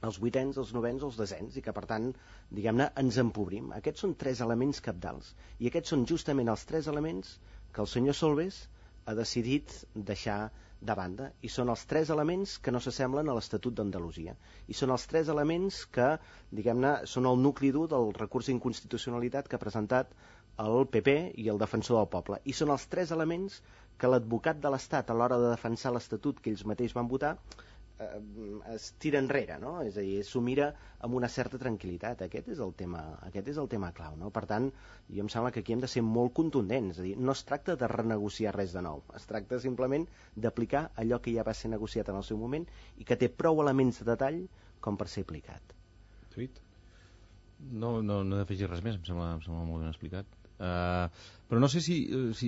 els 8ens, els 9ens, els 10ens, i que per tant, diguem-ne, ens empobrim. Aquests són 3 elements cabdals, i aquests són justament els 3 elements que el senyor Solbes ha decidit deixar de banda, i són els 3 elements que no s'assemblen a l'Estatut d'Andalusia, i són els 3 elements que, diguem-ne, són el nucli dur del recurs d'inconstitucionalitat que ha presentat el PP i el Defensor del Poble, i són els 3 elements que l'advocat de l'Estat a l'hora de defensar l'Estatut que ells mateix van votar es tira enrere, no? És a dir, s'ho mira amb una certa tranquil·litat. Aquest és el tema clau, no? Per tant, jo em sembla que aquí hem de ser molt contundents, és a dir, no es tracta de renegociar res de nou, es tracta simplement d'aplicar allò que ja va ser negociat en el seu moment i que té prou elements de detall com per ser aplicat. No he d'afegir res més, em sembla molt ben explicat. Però no sé si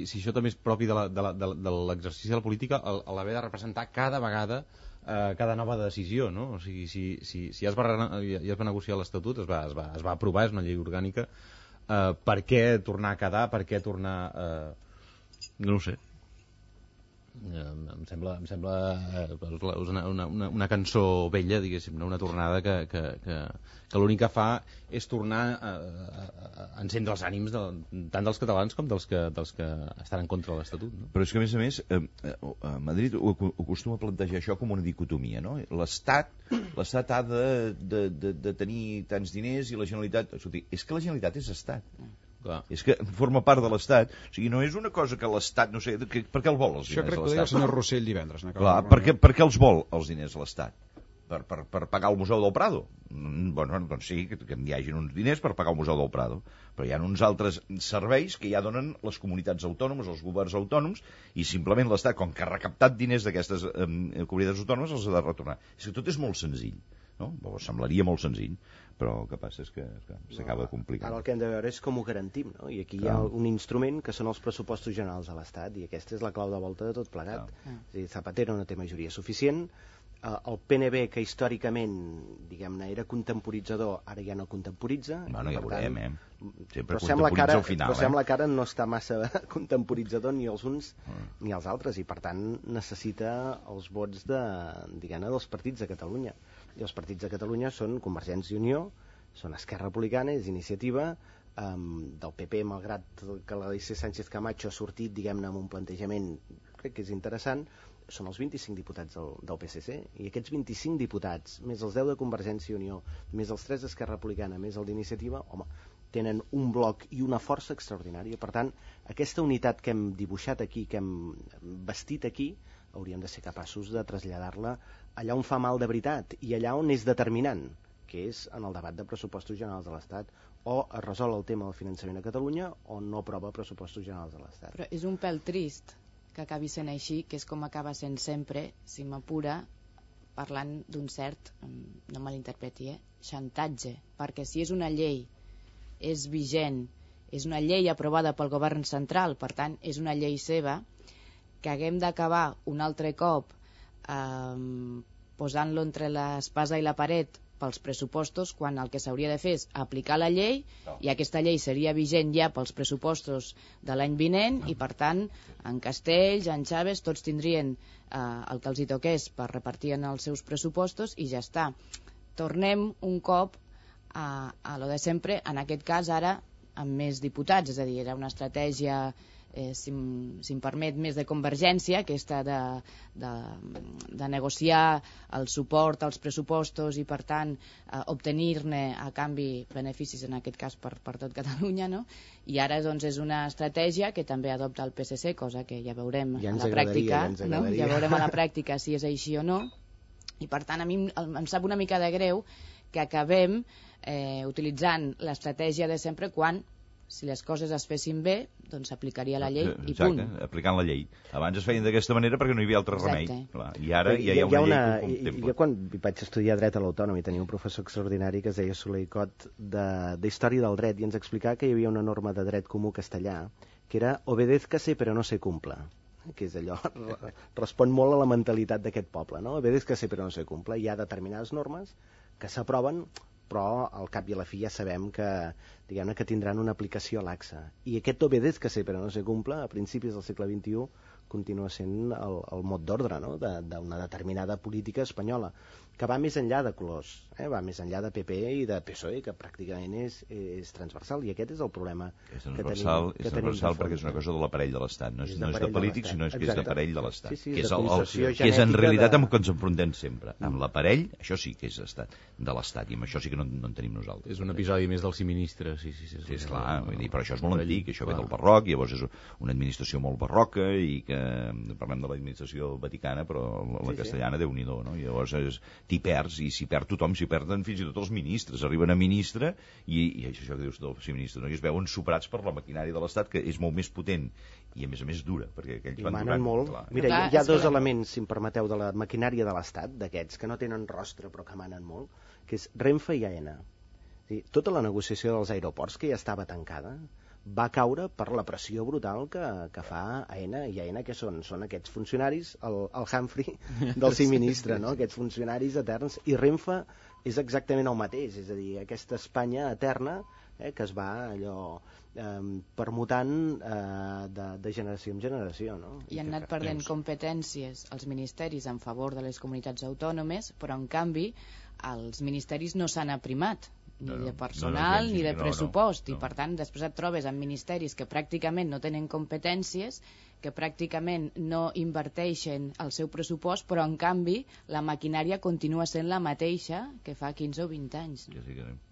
això també és propi de l'exercici de la política, l'haver de representar cada vegada cada nova decisió, no? O sigui, si ja es va negociar l'Estatut, es va aprovar, és una llei orgànica, per què tornar a quedar, per què tornar no ho sé. Em sembla una cançó vella, diguéssim, una tornada que l'únic que fa és tornar a encendre els ànims tant dels catalans com dels que estan en contra de l'Estatut, no? Però és que, a més, Madrid ho acostuma a plantejar això com una dicotomia, no? L'Estat ha de tenir tants diners i la Generalitat... Escolti, és que la Generalitat és Estat. Clar. És que forma part de l'Estat. O sigui, no és una cosa que l'Estat, no sé, per què el vol els diners a l'Estat? Això crec que ho deia el senyor Rossell divendres. Clar, per què els vol els diners a l'Estat? Per pagar el Museu del Prado? Bueno, doncs sí, que hi hagin uns diners per pagar el Museu del Prado, però hi ha uns altres serveis que ja donen les comunitats autònomes, els governs autònoms, i simplement l'Estat, com que ha recaptat diners d'aquestes comunitats autònomes, els ha de retornar. És que tot és molt senzill, no? Semblaria molt senzill, però el que passa és que s'acaba complicant. Ara el que hem de veure és com ho garantim, no? I aquí hi ha un instrument que són els pressupostos generals de l'Estat, i aquesta és la clau de volta de tot plegat. És a dir, Zapatero no té majoria suficient, el PNB, que històricament, diguem-ne, era contemporitzador, ara ja no contemporitza. Bueno, ja veurem, Sempre contemporitza al final. Però sembla que ara no està massa contemporitzador ni els uns ni els altres, i per tant necessita els vots dels partits de Catalunya. I els partits de Catalunya són Convergència i Unió, són Esquerra Republicana, és Iniciativa, del PP, malgrat que l'Alícia Sánchez Camacho ha sortit, diguem-ne, amb un plantejament, crec que és interessant, són els 25 diputats del PSC, i aquests 25 diputats, més els 10 de Convergència i Unió, més els 3 d'Esquerra Republicana, més el d'Iniciativa, home, tenen un bloc i una força extraordinària. Per tant, aquesta unitat que hem dibuixat aquí, que hem vestit aquí, hauríem de ser capaços de traslladar-la allà on fa mal de veritat i allà on és determinant, que és en el debat de pressupostos generals de l'Estat, o es resol el tema del finançament a Catalunya o no aprova pressupostos generals de l'Estat. Però és un pèl trist que acabi sent així, que és com acaba sent sempre, si m'apura, parlant d'un cert, no me l'interpreti, xantatge, perquè si és una llei, és vigent, és una llei aprovada pel govern central, per tant, és una llei seva, que haguem d'acabar un altre cop posant-lo entre l'espasa i la paret pels pressupostos, quan el que s'hauria de fer és aplicar la llei, i aquesta llei seria vigent ja pels pressupostos de l'any vinent, i per tant en Castells, en Chaves, tots tindrien el que els hi toqués per repartir en els seus pressupostos, i ja està. Tornem un cop a lo de sempre, en aquest cas ara amb més diputats, és a dir, era una estratègia, si em permet, més de convergència, aquesta de negociar el suport als pressupostos i, per tant, obtenir-ne a canvi beneficis, en aquest cas per tot Catalunya, no? I ara doncs és una estratègia que també adopta el PSC, cosa que ja veurem a la pràctica, no? Ja veurem a la pràctica si és així o no, i per tant a mi em sap una mica de greu que acabem utilitzant l'estratègia de sempre quan, si les coses es fessin bé, doncs s'aplicaria la llei i punt. Exacte, aplicant la llei. Abans es feien d'aquesta manera perquè no hi havia altre remei. Clar. I ara ja hi ha una llei que ho contempla. Jo quan vaig estudiar dret a l'Autònom i tenia un professor extraordinari que es deia Soler i Cot d'Història del Dret, i ens explicava que hi havia una norma de dret comú castellà que era obedézcase però no se cumpla, que és allò, respon molt a la mentalitat d'aquest poble, no? Obedézcase però no se cumpla. Hi ha determinades normes que s'aproven, però al cap i a la fi ja sabem que, diguem-ne, que tindran una aplicació laxa. I aquest obedézcase però no se cumpla, a principis del segle XXI, continua sent el mot d'ordre, no?, d'una determinada política espanyola, que va més enllà de colors, va més enllà de PP i de PSOE, que pràcticament és transversal, i aquest és el problema que tenim. És transversal perquè és una cosa de l'aparell de l'Estat, no és de polítics, sinó que és d'aparell de l'Estat, que és en realitat amb el que ens enfrontem sempre, amb l'aparell, això sí que és estat de l'Estat, i amb això sí que no en tenim nosaltres. És un episodi més del siministre, sí. És clar, però això és molt antic, això ve del barroc, llavors és una administració molt barroca, i que parlem de l'administració vaticana, però la castellana, Déu-n'hi-do, no? Llavors t'hi perds, i s'hi perd tothom, s'hi perden fins i tot els ministres, arriben a ministre, i això que dius del ser ministre, no? I es veuen superats per la maquinària de l'Estat, que és molt més potent, i a més dura, perquè aquells van manen molt. Mira, hi ha dos elements, si em permeteu, de la maquinària de l'Estat, d'aquests, que no tenen rostre però que manen molt, que és Renfe i AENA. Tota la negociació dels aeroports, que ja estava tancada, va caure per la pressió brutal que fa AENA, i AENA que són aquests funcionaris, el Humphrey del ser ministre, no? Aquests funcionaris eterns, i Renfe és exactament el mateix, és a dir, aquesta Espanya eterna que es va allò permutant de generació en generació, no? I han anat perdent competències els ministeris en favor de les comunitats autònomes, però en canvi els ministeris no s'han aprimat ni de personal ni de pressupost, i per tant després et trobes amb ministeris que pràcticament no tenen competències, que pràcticament no inverteixen el seu pressupost, però en canvi la maquinària continua sent la mateixa que fa 15 o 20 anys.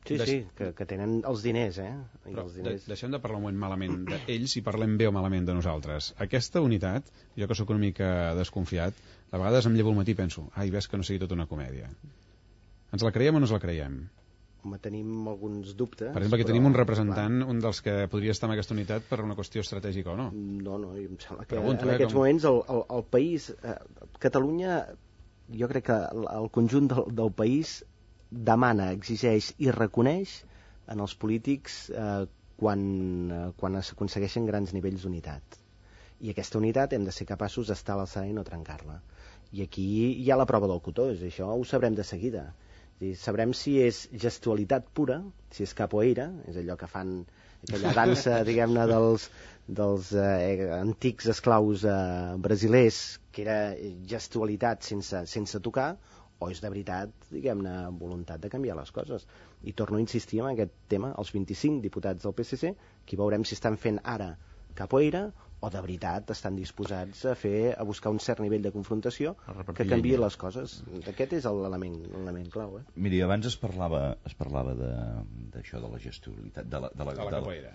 Sí, que tenen els diners, Però deixem de parlar un moment malament d'ells i parlem bé o malament de nosaltres. Aquesta unitat, jo que sóc una mica desconfiat, a vegades em llevo al matí i penso, ai, ves que no sigui tota una comèdia. Ens la creiem o no ens la creiem? Home, tenim alguns dubtes. Per exemple, que tenim un representant, un dels que podria estar en aquesta unitat per una qüestió estratègica o no. No, em sembla que en aquests moments el país, Catalunya, jo crec que el conjunt del país demana, exigeix i reconeix en els polítics quan s'aconsegueixen grans nivells d'unitat. I aquesta unitat hem de ser capaços d'estar a l'alçada i no trencar-la. I aquí hi ha la prova del cotó, això ho sabrem de seguida. Sabrem si és gestualitat pura, si és capoeira, és allò que fan aquella dansa, diguem-ne, dels antics esclaus brasilers, que era gestualitat sense tocar, o és de veritat, diguem-ne, voluntat de canviar les coses. I torno a insistir en aquest tema, els 25 diputats del PSC, que veurem si estan fent ara capoeira o de veritat estan disposats a buscar un cert nivell de confrontació que canviï les coses. Aquest és l'element clau. Miri, abans es parlava d'això de la gestualitat, de la capoeira.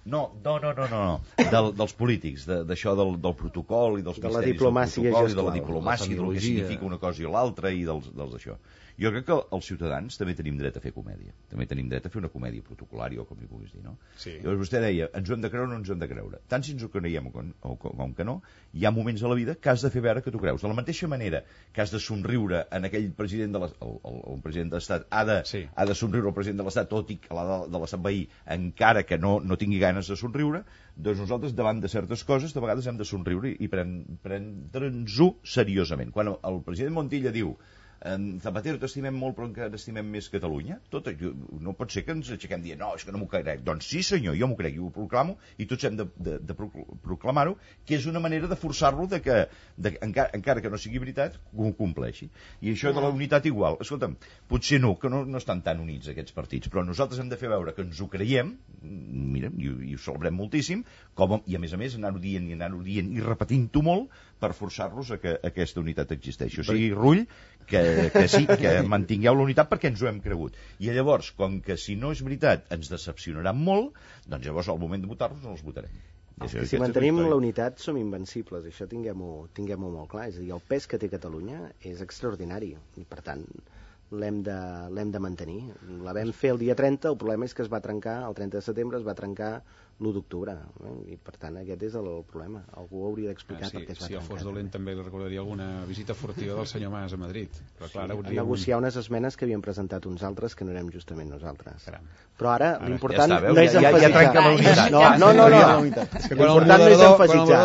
No. Dels polítics, d'això del protocol i dels misteris del protocol i de la diplomàcia, del que significa una cosa i l'altra i dels d'això. Jo crec que els ciutadans també tenim dret a fer comèdia. També tenim dret a fer una comèdia protocolària, o com li puguis dir, no? Sí. Llavors vostè deia, ens ho hem de creure o no ens ho hem de creure. Tant si ens ho creiem com que no, hi ha moments a la vida que has de fer veure que t'ho creus. De la mateixa manera que has de somriure en aquell president de el president de l'Estat, ha de somriure el president de l'Estat, tot i que l'ha de l'Estat veí, encara que no tingui ganes de somriure, doncs nosaltres davant de certes coses de vegades hem de somriure i prendre'ns-ho seriosament. Quan el president Montilla diu Zapatero, t'estimem molt però encara estimem més Catalunya, no pot ser que ens aixequem dient no, és que no m'ho crec. Doncs sí senyor, jo m'ho crec i ho proclamo i tots hem de proclamar-ho, que és una manera de forçar-lo encara que no sigui veritat, ho compleixi. I això de la unitat igual, escolta'm, potser que no estan tan units aquests partits, però nosaltres hem de fer veure que ens ho creiem, mira, i ho celebrem moltíssim, i a més anar-ho dient i repetint-ho molt per forçar-los a que aquesta unitat existeixi. O sigui, Rull, que sí, que mantingueu la unitat perquè ens ho hem cregut. I llavors, com que si no és veritat ens decepcionaran molt, doncs llavors al moment de votar-los no els votarem. Si mantenim la unitat som invencibles, això tinguem-ho molt clar. És a dir, el pes que té Catalunya és extraordinari i per tant l'hem de mantenir. La vam fer el dia 30, el problema és que es va trencar, el 30 de setembre es va trencar l'1 d'octubre, i per tant aquest és el problema. Algú hauria d'explicar per què es va trencar. Si fos dolent també li recordaria alguna visita furtiva del senyor Mas a Madrid. Però clar, a negociar unes esmenes que havien presentat uns altres que no érem justament nosaltres. Però ara l'important no és emfasitzar. No. L'important no és emfasitzar.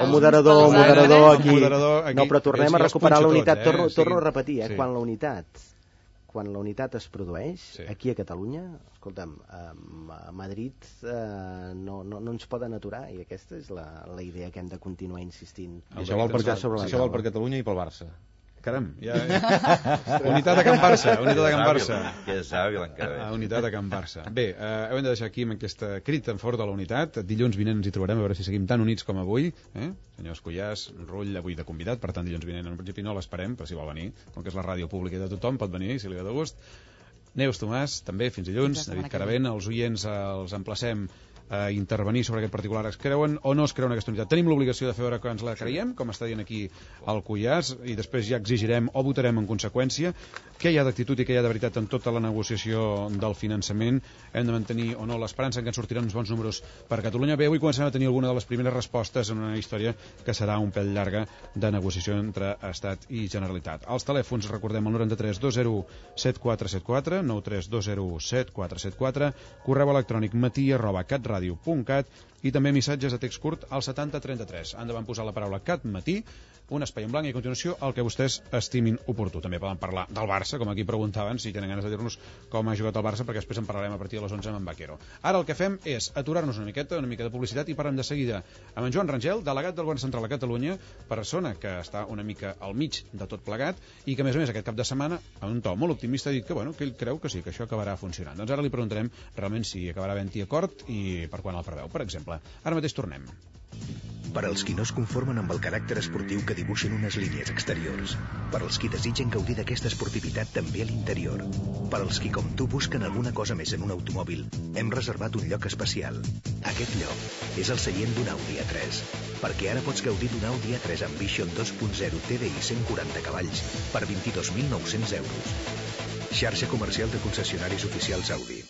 El moderador aquí. No, però tornem a recuperar la unitat. Torno a repetir, quan la unitat es produeix, aquí a Catalunya, escolta'm, a Madrid no ens poden aturar, i aquesta és la idea que hem de continuar insistint. Això val per Catalunya i pel Barça. Caram, unitat a Can Barça. Que sabi l'encara. Unitat a Can Barça. Bé, hem de deixar aquí amb aquesta crida en favor de la unitat. Dilluns vinent ens hi trobarem, a veure si seguim tan units com avui. Senyor Escullàs, Rull avui de convidat, per tant dilluns vinent en principi no l'esperem, però si vol venir, com que és la ràdio pública de tothom, pot venir, si li ve de gust. Neus Tomàs, també, fins dilluns. David Caravent, els oients els emplacem a intervenir sobre aquest particular. Es creuen o no es creuen aquesta unitat? Tenim l'obligació de fer veure que ens la creiem, com està dient aquí el Cullàs, i després ja exigirem o votarem en conseqüència. Què hi ha d'actitud i què hi ha de veritat en tota la negociació del finançament? Hem de mantenir o no l'esperança en que ens sortiran uns bons números per Catalunya? Bé, avui comencem a tenir alguna de les primeres respostes en una història que serà un pèl llarga de negociació entre Estat i Generalitat. Els telèfons, recordem, el 93 20 7474, 93 20 7474, correu electrònic matí@catradio.cat i també missatges de text curt al 7033. Han de posar la paraula CatMatí un espai en blanc i a continuació el que vostès estimin oportú. També poden parlar del Barça, com aquí preguntaven, si tenen ganes de dir-nos com ha jugat el Barça, perquè després en parlarem a partir de les 11 amb en Vaquero. Ara el que fem és aturar-nos una miqueta, una mica de publicitat, i parlem de seguida amb en Joan Rangel, delegat del Govern Central a Catalunya, persona que està una mica al mig de tot plegat i que, a més, aquest cap de setmana, amb un to molt optimista, ha dit que, que ell creu que sí, que això acabarà funcionant. Doncs ara li preguntarem realment si acabarà havent-hi acord i per quan el preveu, per exemple. Ara mateix tornem. Per als qui no es conformen amb el caràcter esportiu que dibuixen unes línies exteriors. Per als qui desitgen gaudir d'aquesta esportivitat també a l'interior. Per als qui, com tu, busquen alguna cosa més en un automòbil, hem reservat un lloc especial. Aquest lloc és el seient d'un Audi A3, perquè ara pots gaudir d'un Audi A3 Ambition 2.0 TDI 140 cavalls per 22.900 euros. Xarxa comercial de concessionaris oficials Audi.